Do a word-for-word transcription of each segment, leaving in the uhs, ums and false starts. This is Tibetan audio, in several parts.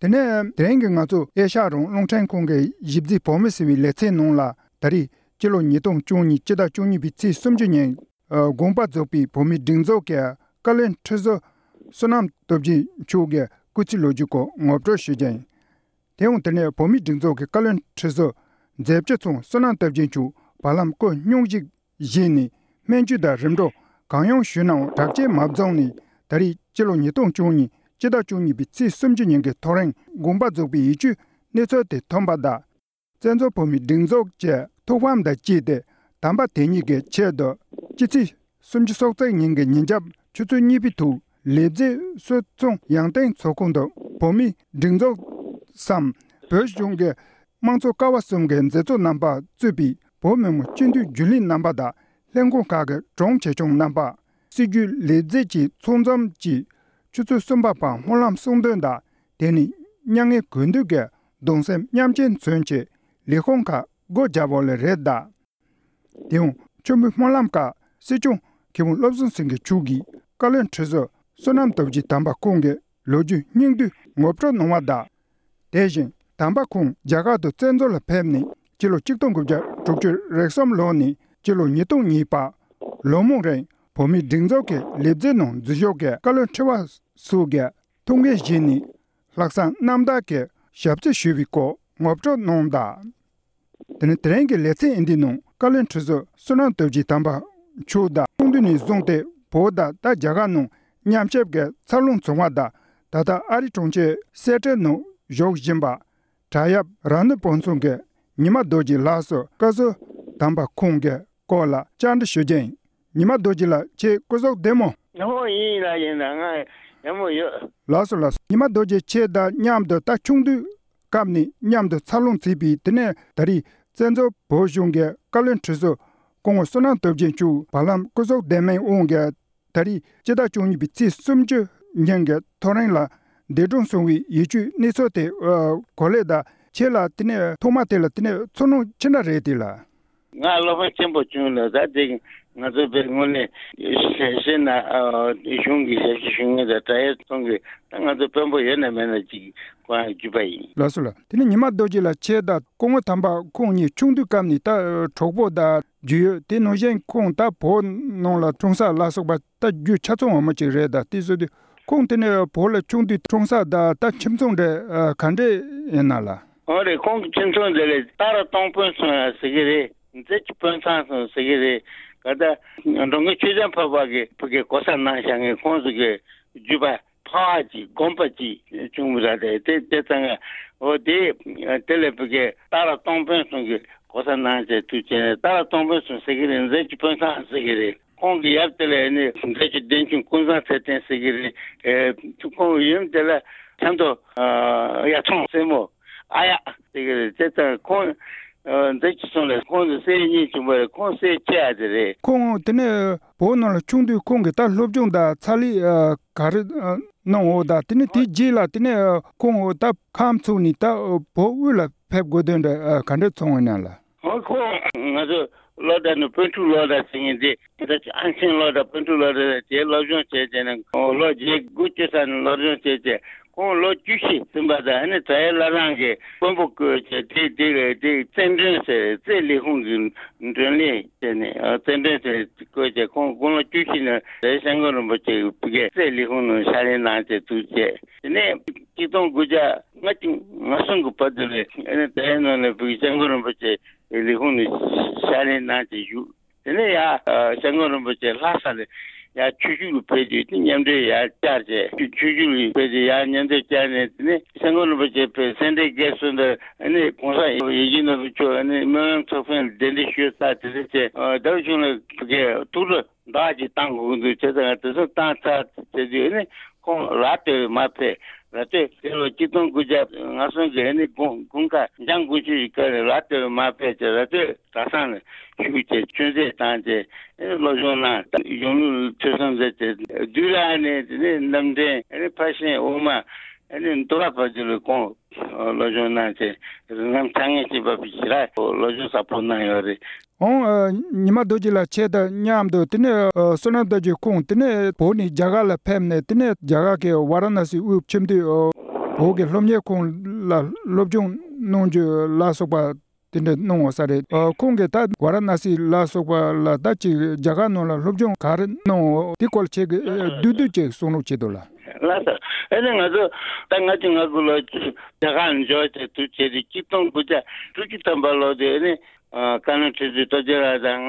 དེ་ནས་དེ་རིང་གི་ང་ཚོ་ཨེ་ཤ་ཡ་རང་དབང་རླུང་འཕྲིན་ཁང་གི་གཞི་རྩའི་བོད་མི་ཟེར་བའི་ལེ་ཚན་ནང་ལ། ད་རེས་སྤྱི་ལོ་ཉིས་སྟོང་བཅུ་གཉིས་སྤྱི་ཟླ་བཅུ་གཉིས་པའི་ཚེས་སུམ་ཅུ་ཉིན། ཨ། དགོངས་པ་རྫོགས་པའི་བོད་མིའི་སྒྲིག་འཛུགས་ཀྱི་བཀའ་བློན་ཁྲི་ཟུར་བསོད་ནམས་སྟོབས་རྒྱལ་མཆོག་གི་སྐུ་ཚེའི་ལོ་རྒྱུས་སྐོར་ངོ་སྤྲོད་ཞུ་རྒྱུ་ཡིན། དེ་ཡང་དེ་ནས་བོད་མིའི་སྒྲིག་འཛུགས་ཀྱི་བཀའ་བློན་ཁྲི་ཟུར་མཛད་སྤྱི་ཚང་བསོད་ནམས་སྟོབས་རྒྱལ་མཆོག་བར་ལམ་སྐུ་སྙུང་གཞི་བཞེས་ནས། སྨན་བཅོས་དང་རིམ་གྲོ་གང་ཡང་ཞུས་ནའང་དྲག་སྐྱེད་མ་བྱུང་ནས། ད་རེས་སྤྱི་ལོ་ཉིས་སྟོང་བཅུ་གཉིས་སྤྱི་ཟླ་བཅུ་གཉིས་པའི་ཚེས་སུམ་ཅུ་ཉིན་གྱི་ཐོ་རེངས་དགོངས་པ་རྫོགས་པའི་ཡིད་སྐྱོའི་གནས་ཚུལ་དེ་ཐོན་པ་དང་། བཙན་བྱོལ་བོད་མིའི་སྒྲིག་འཛུགས་ཀྱི་ཐུགས་ཕམ་དང་བཅས་ཏེ། དམ་པ་དེ་ཉིད་ཀྱི་ཆེད་དུ་སྤྱི་ཚེས་སུམ་ཅུ་སོ་གཅིག་ཉིན་གྱི་ཉིན་རྒྱབ་ཆུ་ཚོད་གཉིས་པའི་ཐོག་ལེབ་རྩེ་སུད་ཚོང་ཡང་སྟེང་ཚོགས་ཁང་དུ་བོད་མིའི་སྒྲིག་འཛུགས་སམ། བོད་གཞུང་གི་དམངས་གཙོ་ཀ་བ་གསུམ་གྱི་མཛད་གཙོ་རྣམ་པ་གཙོས་པའི་བོད་མི་མང་སྤྱི་འཐུས་རྒྱུན་ལས་རྣམ་པ་དང་། ལྷན་ཁང་ཁག་གི་དྲུང་ཆེ་ཆུང་རྣམ་པ། སྲིད་བྱུས་ལས་རྫས་ཀྱི་ཚོགས་འཛོམས་ཀྱིས་ཆུ་ཚོད་གསུམ་པ་བར་སྨོན་ལམ་གསུང་འདོན་དང་། དེ་ནས་མྱ་ངན་གུས་འདུད་ཀྱི་གདུང་སེམས་མཉམ་སྐྱེད་མཚོན་ཆེད་ལས་ཁུངས་ཁག་སྒོ་བརྒྱབ་པ་ལ་རེད་གདའ། དེ་ཡང་མཆོད་འབུལ་སྨོན་ལམ་སྐབས་སྲིད་སྐྱོང་མཁས་དབང་བློ་བཟང་སེང་གེ་མཆོག་གིས་བཀའ་བློན་ཁྲི་ཟུར་བསོད་ནམས་སྟོབས་རྒྱལ་དམ་པ་ཁོང་གི་ལོ་རྒྱུས་སྙིང་བསྡུས་ངོ་སྤྲོད་གནང་བ་དང་། དེ་བཞིན་དམ་པ་ཁོང་རྒྱ་གར་དུ་བཙན་བྱོལ་ལ་ཕེབས་ནས་སྤྱི་ལོ་ཆིག་སྟོང་དགུ་བརྒྱ་དྲུག་ཅུ་རེ་གསུམ་ལོ་ནས་སྤྱི་ལོ་ཉིས་སྟོང་གཉིས་བར་ལོ་མང་རིང་བོད་མིའི་སྒྲིག་འཛུགས་ཀྱི་ལས་བྱེད་ནང་འཛུལ་ཞུགས་ཀྱིས་བཀའ་བློན་ཁྲི་པ་སོགས་ཀྱི་ཐུགས་འགན་བཞེས་ནས་ལྷག་བསམ་རྣམ་དག་གིས་ཞབས་ཕྱི་ཞུས་པའི་སྐོར་ངོ་སྤྲོད་གནང་གདའ། དེ་ནས་དེ་རིང་གི་ལེ་ཚན་འདིའི་ནང་བཀའ་བློན་ཁྲི་ཟུར་བསོད་ནམས་སྟོབས་རྒྱལ་དམ་པ་མཆོག་དང་ཆུང་དུས་ནས་བཟུང་སྟེ་བོད་དང་ད་རྒྱ་གར་ནང་མཉམ་ཞབས་ཀྱི་འཚར་ལོངས་བྱུང་བ་དང་། ད་ལྟ་ཨ་རིའི་གྲོང་ཁྱེར་སེ་ཊལ་ནང་བཞུགས་བཞིན་པ་བྲག་གཡབ་རང་ནུས་སྤུངས་ཚང་གི་ཉི་མ་རྡོ་རྗེ་ལགས་སུ་བཀའ་ཟུར་དམ་པ་ཁོང་གི་སྐོར་ལ་བཅར་འདྲི་ཞུ་རྒྱུ་ཡིན། ཉི་མ་རྡོ་རྗེ་ལགས་ཁྱེད་སྐུ་གཟུགས་བདེ་མོ། ཨོ་ཡིན་ལགས་ཡིན་ལགས། ང་ཡག་མོ་ཡོད། ལགས་སོ་ལགས་སོ། ཉི་མ་རྡོ་རྗེ་ཁྱེད་དང་མཉམ་དུ་ད་ཆུང་དུས་སྐབས་ནས་མཉམ་དུ་འཚར་ལོངས་བྱས་པའི་དེ་ནས་ད་རེས་བཙན་བྱོལ་བོད་གཞུང་གི་བཀའ་བློན་ཁྲི་ཟུར་སྐུ་ངོ་བསོད་ནམས་སྟོབས་རྒྱལ་མཆོག་བར་ལམ་སྐུ་གཟུགས་བདེ་མིན་དབང་གིས་ད་རེས་སྤྱི་ཟླ་བཅུ་གཉིས་པའི་ཚེས་སུམ་ཅུ་ཉིན་གྱི་ཐོ་རེངས་ལ་འདས་གྲོངས་སོང་བའི་ཡིད་སྐྱོའི་གནས་ཚུལ་དེ་གོ་ལེ་དང་། ཁྱེད་ལ་དེ་ནས་ཐོག་མ་དེ་ལ་དེ་ནས་ཚོར་སྣང་ཅི་འདྲ་རེད་དེ་ལ། ང་བློ་ཕམ་ཆེན་པོ་བྱུང་ལ། ད་དེ་ང་ཚོ་དཔེ་དངོས་གནས་ཤེས་ཤེས་ན་ཨ་གཞུང་གི་ཞབས་ཕྱི་ཞུ་མཁན་དང་བྲག་གཡབ་ཚང་གི་ད་ང་ཚོ་དཔོན་པོ་ཡོད་ན་མེད་ན་ཅིག་གོ་ཡང་བརྒྱུད་པ་ཡིན། ལགས་སོ་ལགས། དེ་ནས་ཉི་མ་རྡོ་རྗེ་ལགས་ཁྱེད་དང་སྐུ་ངོ་དམ་པ་ཁོང་གཉིས་ཆུང་དུས་སྐབས་ནས་ད་གྲོགས་པོ་དང་རྒྱུས་ཡོད། དེ་ནང་བཞིན་ཁོང་ད་བོད་ནང་ལ་འཁྲུངས་ས་ལ་སོགས་པ་ད་རྒྱུས་ཆ་ཚང་ངོ་མ་ཅིག་རེད། ད་དེ་བཟོ་དུས་ཁོང་དེ་ནས་བོད་ལ་ཆུང་དུས་འཁྲུངས་ས་དང་ད་ཁྱིམ་ཚང་འདྲ་ག་འདྲས་ཡིན་ན་ལགས། འོ་རེད། ཁོང་གི་ཁྱིམ་ཚང་དེ་ལས་སྟག་ར་སྟོང་དཔོན་ཚང་ཡང་ཟེར་གི་རེད། མཛེས་ཀྱི་དཔོན་ཚང་ཚང་ཟེར་གི་རེད། ག་ད་འགྲོ་མགོན་ཆོས་ལྡན་འཕགས་པ་གི་བུ་གའི་གོ་ས་གནང་བཞག་མཁན་ཁོང་ཚོ་གི་བརྒྱུད་པ་ཕ་བ་གཅིག་དགོན་པ་གཅིག་བྱུང་བ་ར་རེད། དེ་དེ་ཚང་ཡང་འོ་དེ་དེ་ལས་བུ་གའི་སྟག་ར་སྟོང་དཔོན་ཚང་གི་གོ་ས་གནང་བྱས་ཐུག་བྱས་ནས་སྟག་ར་སྟོང་དཔོན་ཚང་ཟེར་གི་རེད། མཛེས་ཀྱི་དཔོན་ཚང་ཟེར་གི་རེད། ཁོང་གི་ཡབ་དེ་ལ་ནི་མཛད་ཀྱི་བདེན་ཆུང་ཀུན་བཟང་ཚེ་བརྟན་ཟེར་གྱི་རེད། ཨེ་ཁོང་ཡུམ་དེ་ལ་ཆབ་མདོ་ཨ་ཡ་ཐོང་སྲས་མོ་ཨ་ཡ་ཟེར་གྱི་རེད། དེ་ལྟར་ཁོང་ཨ་མཛད་ཀྱི་སོང་ལས་ཁོང་དུ་སྲས་གཉིས་བྱུང་བ་རེད། ཁོང་སྲས་ཆེ་ཡ་དེ་རེད། ཁོང་དེ་ནས་བོད་ནང་ལ་ཆུང་དུས་ཁོང་གིས་ད་སློབ་སྦྱོང་དང་ཚ་ལས་ཨ་ག་རེ་ཨ་གནང་འོ་ད་དེ་ནས་དེའི་རྗེས་ལ་དེ་ནས་ཁོང་ད་ཁམས་ཚུགས་ནས་ད་བོད་དབུས་ལ་ཕེབས་དགོས་དོན་འདྲ་ཨ་ག་འདྲ་ཚོར་འོང་ན་ལགས། ཨོ་ཁོ་ང་ཚོ་ལོ་ཟླ་ནི་སྤོན་ཕྲུག་ལོ་ཟླ་ཟེར་མཁན་དེ་ད་ཅི་ཨན་ཆེན་ལོ་ཟླ་སྤོན་ཕྲུག་ལོ་ཟླ་དེ་སློབ་སྦྱོང་བྱས་བྱས་ནས་ཁོང་ལོ་བརྒྱད་དགུ་བཅུ་ཙམ་ནས་སློབ་སྦྱོང་བྱས་བྱས་ཁོང་ལོ་བཅུ་བཞི་ཟིན་པ་དང་ཨ་ནི་བྲག་གཡབ་བླ་བྲང་གི་དཔོན་པོ་བསྐོས་བྱས་དེ་དེ་དེ་རྩེ་མགྲོན་ཟེར་རྩེ་ལས་ཁུངས་ཀྱི་མགྲོན་ལས་བྱས་ནས་རྩེ་མགྲོན་ཟེར་བསྐོས་བྱས་ཁོང་དགུང་ལོ་བཅུ་བཞི་ནས་རེ་སྐྱབས་མགོན་རིན་པོ་ཆེ་གི་ཕ་གིའི་རྩེ་ལས་ཁུངས་ནང་ཕྱག་ལས་གནང་བྱས་ཐུག་བྱས། དེ་ནས་གཅིག་སྟོང་དགུ་བརྒྱ་ལྔ་བཅུ་ང་གསུམ་གྱི་བར་དུ་ལས་ཨ་ནི་དེའི་ནང་ནས་བོད་ཀྱི་སྐྱབས་མགོན་རིན་པོ་ཆེ་ལས་ཁུངས་ནས་ཕྱག་ལས་གནང་བྱས་བཞུགས། དེ་ནས་ཡར་སྐྱབས་མགོན་རིན་པོ་ཆེ་ལྷ་ས་ལ་ཡར་ཆོས་ཞུ་ལ་ཕེབས་དུས་དེ་མཉམ་འབྲེལ་ཡར་བཅར་བྱས་ཆོས་ཞུ་ལ་ཕེབས་དུས་ཡར་མཉམ་འབྲེལ་བཅར་ནས། དེ་ནས་སྐྱབས་མགོན་རིན་པོ་ཆེ་ཕེབས་སེ་འབྲས་དགེ་གསུམ་དུ་ཨ་ནི་གོང་ས་ཡིད་བཞིན་ནོར་བུ་མཆོག་ཨ་ནི་སྨོན་ལམ་ཚོགས་ཕན་གདན་འདྲེན་ཞུས་ཚར། དེ་ཚེ་ཆེ་ཟླ་བ་ཆུང་ལ་ཕ་གིའི་ཐུགས་སྤྲོ་འདྲ་ཅིག་བཏང་དགོས་ཀྱི་འདུག་བྱས་ཙང་དེ་ཚོ་བཏང་ཚར་བྱས་དུས་ནི་ཁོང་ར་སྟོད་མར་ཕེབས། ར་སྟོད་དེ་ལོ་གཅིག་སྟོང་དགུ་བརྒྱ་ང་གསུམ་གྱི་ནི་དགུན་དགུན་ཁ་འཇང་དགུན་ཆོས་ཀྱི་སྐབས་ལ་ར་སྟོད་མར་ཕེབས་བྱས་ར་སྟོད་གྲྭ་ཚང་ལ་བཞུགས་བྱས་ཆོས་མཛད་བཏང་བྱས་སློབ་སྦྱོང་གནང་། གཞུང་ལུགས་ཐོས་བསམ་མཛད་བྱས་བདུད་ར་ནས་དེ་ནས་རྣམ་འདྲེན་ཕར་ཕྱིན་དབུ་མ་ནི་མདོ་ར་བར་དུ་ལ་ཁོང་སློབ་སྦྱོང་གནང་བྱས་རིགས་ལམ་ཚ་ངེས་ཅན་པ་ཞིག་ལ་སློབ་སྦྱོང་ཟབ་པོ་གནང་ཡོད་རེད། ཨོང་། ཨ། ཉི་མ་རྡོ་རྗེ་ལགས་ཁྱེད་དང་མཉམ་དུ་དེ་ནས་ཨ་བསོད་ནམས་རྡོ་རྗེ་ཁོང་དེ་ནས་བོད་ནས་རྒྱ་གར་ལ་ཕེབས་ནས་དེ་ནས་རྒྱ་གར་གྱི་ཝཱ་ར་ཎ་སི་དབུས་ཁྱིམ་སྡེ་ཨ་ བོད་ཀྱི་སློབ་གཉེར་ཁང་ལ་སློབ་སྦྱོང་གནང་རྒྱུ་ལ་སོགས་པ་དེ་འདྲ་གནང་བ་ས་རེད། ཨ། ཁོང་གིས་ད་ཝཱ་ར་ཎ་སི་ལ་སོགས་པ་ལ་ད་ཅིག་རྒྱ་གར་ནང་ལ་སློབ་སྦྱོང་ག་རེ་གནང་འོ་དེ་སྐོར་ཁྱེད་ཀྱིས་བསྡུས་བསྡུས་ཅིག་གསུང་རོགས་བྱེད་དོ་ལགས། ལགས་སོ། ཨ་ནི་ང་ཚོ་ད་ལྔ་བཅུ་ང་དགུ་ལོ་རྒྱ་གར་འབྱོར་བྱས་དུས་བྱས་ཏེ་ཆིག་སྟོང་དགུ་བརྒྱ་དྲུག་ཅུ་ཐམ་པ་ལོ་དེ་ཨ་ནི། ཨ། བཀའ་བློན་ཁྲི་ཟུར་སྟོབས་རྒྱལ་ལགས་དང་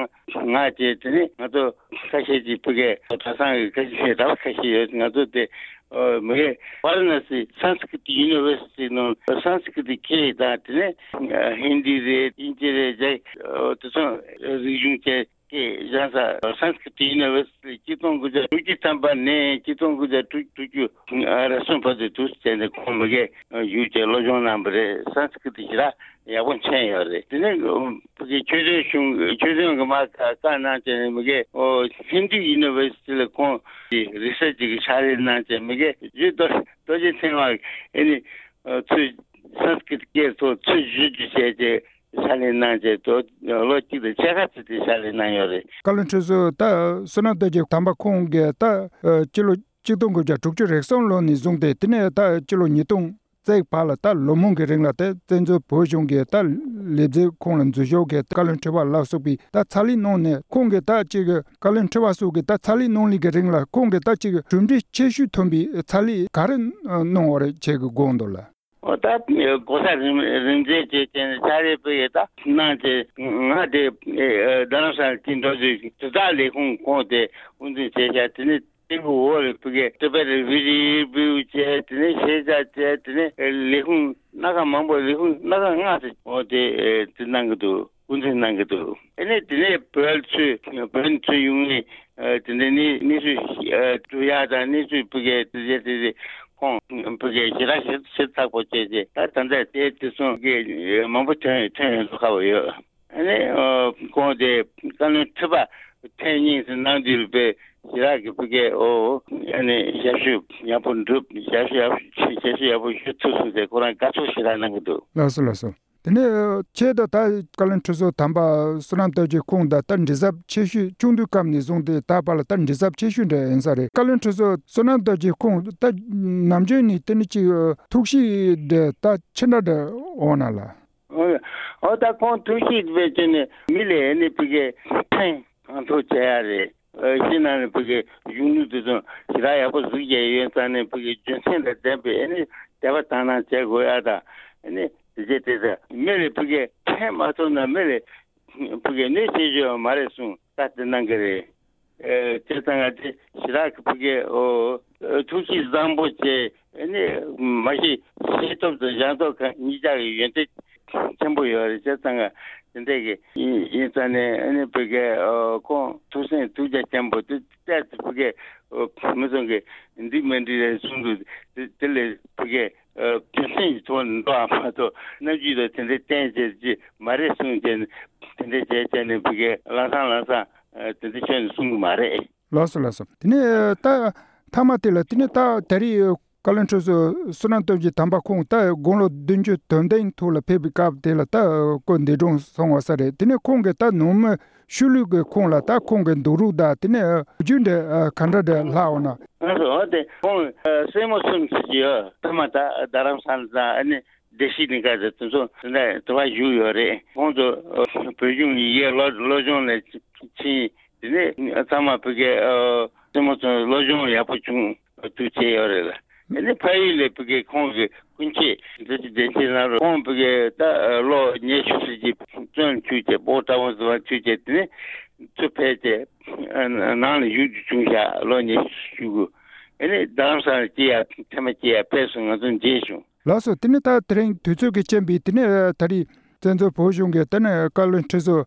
ང་བཅས་དེ་ནས་ང་ཚོ་ཁ་ཤས་ཀྱིས་ཕ་གིའི་གྲྭ་ཚང་གི་ཁ་ཤས་གྲྭ་པ་ཁ་ཤས་ཡོད། ང་ཚོ་དེ་མི་ཝཱ་ར་ཎ་སི་Sanskrit University ནང་སན་སི་ཀྲི་ཏི་ཁྱེར་དང་དེ་ནས་ཧིན་དི་རེད། དབྱིན་ཇི་རེད། རྒྱ་དེ་ཚོ་རིག་གཞུང་བཅས་ཀྱི་སྦྱངས་ས་སན་སི་ཀྲི་ཏི་ཡུ་ནི་ཝར་སི་ཊི་ཆིག་སྟོང་དགུ་བརྒྱ་དྲུག་ཅུ་ཐམ་པ་ནས་ཆིག་སྟོང་དགུ་བརྒྱ་དྲུག་ཅུ་རེ་གསུམ་བར་དུ་འདུག་སེ་བྱས་ནས་ཁོང་མ་གིར་བཞུགས་བྱས་སློབ་སྦྱོང་གནང་བ་རེད། སན་སི་ཀྲི་ཏི་ཞེ་དྲག་ཡག་པོ་མཁྱེན་ཡོད་རེད། དེ་ནས་ཕ་གི་ཆོས་སྐྱོང་གཞུང་ཆོས་སྐྱོང་གི་མ་བཀའ་གནང་བྱས་ནས་མ་གིར་ཧིན་དུ་ཡུ་ནི་ཝར་སི་ཊི་ལ་ཁོང་གི་རི་སར་ཆི་གི་ཕྱག་ལས་གནང་བྱས་མ་གིར་རྗེ་རྡོ་རྗེ་ཚེ་དབང་ཨེ་ནི་ཚུར་སན་སི་ཀྲི་ཏི་སྐད་ཐོག་ཚུར་བསྒྱུར་བཅོས་བྱས་བྱས། ཕྱག་ལས་གནང་བྱས་ལོ་གཅིག་དང་ཕྱེད་ཀ་ཙམ་དེ་ཕྱག་ལས་གནང་ཡོད་རེད། བཀའ་བློན་ཁྲི་ཟུར་ད་བསོད་ནམས་རྡོ་རྗེ་དམ་པ་ཁོང་གིས་ད་སྤྱི་ལོ་ཆིག་སྟོང་དགུ་བརྒྱ་དྲུག་ཅུ་རེ་གསུམ་ལོ་ནས་བཟུང་སྟེ་དེ་ནས་ད་སྤྱི་ལོ་ཉིས་སྟོང་བརྩེགས་བར་ལ་ད་ལོ་མང་གི་རིང་ལ་དེ་བཙན་བྱོལ་བོད་གཞུང་གི་ད་ལས་བྱེད་ཁོང་ལ་འཛུལ་ཞུགས་ཀྱི་བཀའ་བློན་ཁྲི་པ་ལ་སོགས་པའི་ད་ཕྱག་ལས་གནང་ནས་ཁོང་གིས་ད་ཅིག་བཀའ་བློན་ཁྲི་པ་སོགས་ཀྱི་ད་ཕྱག་ལས་གནང་ལུགས་ཀྱི་རིང་ལ་ཁོང་གིས་ད་ཅིག་གྲུབ་འབྲས་ཆེ་ཤོས་ཐོན་པའི་ཕྱག་ལས་ག་རེ་གནང་བ་རེད་ཁྱེད་ཀྱི་དགོངས་འདུག་ལ། འོ་ད་གོ་ས་རིམ་རིམ་འཛེགས་བྱས་བྱས་ནས་ཕྱག་ལས་སྤེལ་ཡས་ད་གནང་བྱས། ང་དེ་རྡ་རམ་ས་ལ་དེ་འགྲོ་དུས་དྲིལ་བསྒྲགས་ལས་ཁུངས་ཁོངས་དེ་དབུ་འཛིན་བྱས་བཞག་དེ་ནས་དེ་གི་འོག་ལ་ཕ་གིར་ཊི་བེཊ་རི་ཕུ་ཇི་བྷིའུ་བྱས། དེ་ནས་ཤེས་བྱ་བྱས། དེ་ནས་ལས་ཁུངས་སྣ་ཁ་མང་པོ་ལས་ཁུངས་སྣ་ཁ་ལྔ་ཙམ་འོ་དེ་དེ་གནང་གི་འདུག་དབུ་འཛིན་གནང་གི་འདུག་ཨ་ནི་དེ་ནས་བོད་ཚུར་བོད་ཚུར་ཡོང་ནས་དེ་འདྲ་ནི་གནས་ཚུལ་སྒྲུབ་ཡག་དང་གནས་ཚུལ་ཕ་གིར་དེ་བྱས་དེ་ཁོང་ཕ་གིར་ཞེ་དྲག་ཞིབ་ཞིབ་ཚགས་པོ་བྱས་རྗེས་ད་ད་ལྟ་དེ་དེ་སོང་གི་མང་པོ་ཐོན་ཐོན་ཡོང་འདུག་ཁ་པོ་ཡོད། ཨ་ནི་ཁོང་དེ་བཀའ་བློན་ཁྲི་པ་ཐེངས་གཉིས་སུ་གནང་དུས་པའི་ཞེ་དྲག་གི་ཕ་གིར་འོ་ཨ་ནི་ཞབས་ཞུ་ཡག་པོ་འགྲུབ། ཞབས་ཞུ་ཡག་ཞབས་ཞུ་ཡག་པོ་ཞུ་ཐུབ་སོང་ཟེར་ཁོ་རང་དགའ་ཚོར་ཞེ་དྲག་གནང་གི་འདུག་ལགས་སོ་ལགས་སོ། དེ་ནས་ཆེད་དུ་ད་བཀའ་བློན་ཁྲི་ཟུར་དམ་པ་བསོད་ནམས་རྡོ་རྗེ་ཁོང་དང་ད་འདྲིས་གཟབ་ཆེ་ཤོས་ཆུང་དུས་སྐབས་ནས་བཟུང་སྟེ་ད་བར་ལ་ད་འདྲིས་གཟབ་ཆེ་ཤོས་འདྲ་ཡིན་ས་རེད། བཀའ་བློན་ཁྲི་ཟུར་བསོད་ནམས་རྡོ་རྗེ་ཁོང་ད་ནམ་རྒྱུན་ནས་དེ་ནི་ཅིག་ཐུགས་གཤིས་འདྲ་ད་ཅི་འདྲ་འདྲ་འོང་ན་ལ། འོ་ད་ཁོང་ཐུགས་གཤིས་དཔེ་བྱས་ནས་མི་ལ་ཨེ་ནི་ཕ་གིར་ཕན་གང་ཐུབ་བྱེད་ཡ་རེད། ཨ། ཕྱི་ནང་ནས་ཕ་གིའི་གཞུང་ལུགས་དེ་ཚོ་ཞེ་དྲག་ཡག་པོ་གཟིགས་བྱས་ཡོད་ཙང་ནས་ཕ་གིའི་རྒྱུ་མཚན་དང་ལྡན་པའི་ཨ་ནི་དད་པ་དག་སྣང་བྱེད་དགོས་ཡ་དང་། ཨ་ནི་དེ་བྱས་དེ་ཚོ་མི་ལ་ཕ་གིར་ཕན་མ་ཐོགས་ན་མི་ལ་ཕ་གིར་གནོད་བྱེད་རྒྱུ་མ་རེད་གསུངས་ད་དེ་གནང་གི་རེད། ཨ། བྱས་ཙང་ང་དེ་ཞེ་དྲག་གི་ཕ་གིར་འོ་ཐུགས་གཤིས་བཟང་པོ་བྱས། ཨ་ནི་མ་གཞི་ཤེས་སྟོབས་དང་སྦྱང་སྟོབས་གང་གཉིས་ཆ་གི་ཡོན་ཏན་ཆེན་པོ་ཡོད་རེད། བྱས་ཙང་ང་དེ་འདྲ་གི་ཡིན་ཡིན་ཙང་ནས་ཨ་ནི་ཕ་གིར་ཨ་ཁོང་ཐུགས་སེམས་ཐུགས་རྒྱ་ཆེན་པོ་དེ་བལྟས་ཚེ་ཕ་གིར་ཨ་མི་ཚང་གི་འགྲིག་མི་འགྲིག་རེད་གསུང་འདུག་དེ་དེ་ལས་ཕ་གིར་ཨ་རྒྱུ་མཚན་གྱི་ཐོག་ནས་འགྲོ་བ་མ་གཏོགས་རྣམ་འགྱུར་དང་དེ་འདྲ་བསྟན་བྱས་ཀྱི་མ་རེད་གསུངས་བྱས་ནས་དེ་འདྲ་བྱས་བྱས་ནས་ཕ་གིར་ལམ་སང་ལམ་སང་ཨ་དེ་འདྲ་ཁྱོན་ནས་གསུང་གི་མ་རེད། ལགས་སོ་ལགས་སོ། དེ་ནས་ད་མཐའ་མ་དེ་ལ་དེ་ནས་ད་ད་རེས་བཀའ་བློན་ཁྲི་ཟུར་བསོད་ནམས་སྟོབས་རྒྱལ་དམ་པ་ཁོང་ད་དགུང་ལོ་བདུན་ཅུ་དོན་བདུན་ཐོག་ལ་ཕེབས་པའི་སྐབས་དེ་ལ་ད་སྐུ་འདས་གྲོངས་སོང་བ་ས་རེད། དེ་ནས་ཁོང་གི་ད་ནང་མི་ཤུལ་ལུས་ཀྱི་ཁོང་ལ་ད་ཁོང་གི་འདུག་རོགས་དང་དེ་ནས་རྒྱུ་འདྲ་ག་འདྲ་འདྲ་ལྷག་འོང་ན། ང་ཚོ་འོ་དེ་ཁོང་སྲས་མོ་གསུམ་ཟེར་གྱི་ཡོད། ཐ་མ་ད་རྡ་རམ་ས་ལ་དང་ཨ་ནི་བདེ་སྐྱིད་གླིང་ག་དེ་དེ་ཚོ་དེ་འདྲ་དུ་བ་བཞུགས་ཡོད་རེད། ཁོང་ཚོ་བོད་གཞུང་ཡི་གེ་སློབ་སློབ་སྦྱོང་ལ་ཕྱིན། དེ་ནས་ཚང་མ་ཕ་གིར་ཨ་སྲས་མོ་ཚོ་སློབ་སྦྱོང་ཡག་པོ་བྱུང་འདུག་བྱས་ཡོད་རེད་ལ། དེ་ནས་ཕ་ཡུལ་ལ་ཕ་གིར་ཁོང་གི་སྐུ་མཆེད་འདི་ཚོ་བདེ་ཆེན་ལ་རུ་ཁོང་ཕ་གིར་ད་ལོ་ཉི་ཤུ་ཙམ་གྱི་བཙོན་བཅུག་བྱས་སྤོ་བྲག་འོང་ཟེར་བ་བཅུག་བྱས་དེ་ནས་ཚུར་ཕེབས་བྱས་ནང་ལ་བཞུགས་རྒྱུ་བྱུང་ཤག་ལོ་ཉི་ཤུ་གུ། ཨ་ནི་རྡ་རམ་ས་ལ་སྐྱེལ་ཡ་ཐེངས་མ་སྐྱེལ་ཡ་ཕེབས་སོང་། ང་ཚོ་མཇལ་བྱུང་། ལགས་སོ། དེ་ནས་ད་དེ་རིང་དུས་ཚོད་ཀྱི་རྐྱེན་པས་དེ་ནས་ད་རེས་བཙན་བྱོལ་བོད་གཞུང་གི་དེ་ནས་བཀའ་བློན་ཁྲི་ཟུར་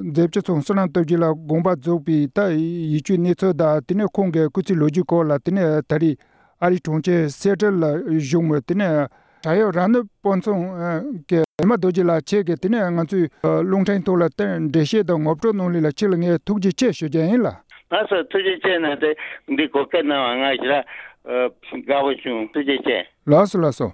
མཛད་བཅུ་ཚང་བསོད་ནམས་སྟོབས་རྒྱལ་ལ་དགོངས་པ་རྫོགས་པའི་ད་ཡིད་སྤྱོད་གནས་ཚུལ་དང་དེ་ནས་ཁོང་གི་སྐུ་ཚེ་ལོ་རྒྱུས་སྐོར་ལ་དེ་ནས་ད་རེས་ཨ་རིའི་གྲོང་ཁྱེར་སེ་ཊལ་ལ་བཞུགས་མོད་དེ་ནས་བྲག་གཡབ་ར་ནུབ་དཔོན་ཚང་གི་ཉི་མ་རྡོ་རྗེ་ལགས་ཁྱེད་ཀྱིས་དེ་ནས་ང་ཚོའི་རླུང་འཕྲིན་ཐོག་ལ་དེ་འགྲེལ་བཤད་དང་ངོ་སྤྲོད་གནང་ལུགས་ལ་ཁྱེད་ལ་ངས་ཐུགས་རྗེ་ཆེ་ཞུ་རྒྱུ་ཡིན་ལ། ལགས་སོ། ཐུགས་རྗེ་ཆེ་གནང་སྟེ་འདི་གོ་སྐབས་གནང་བ་ང་ཞེ་དྲག་དགའ་པོ་བྱུང་། ཐུགས་རྗེ་ཆེ། ལགས་སོ་ལགས་སོ།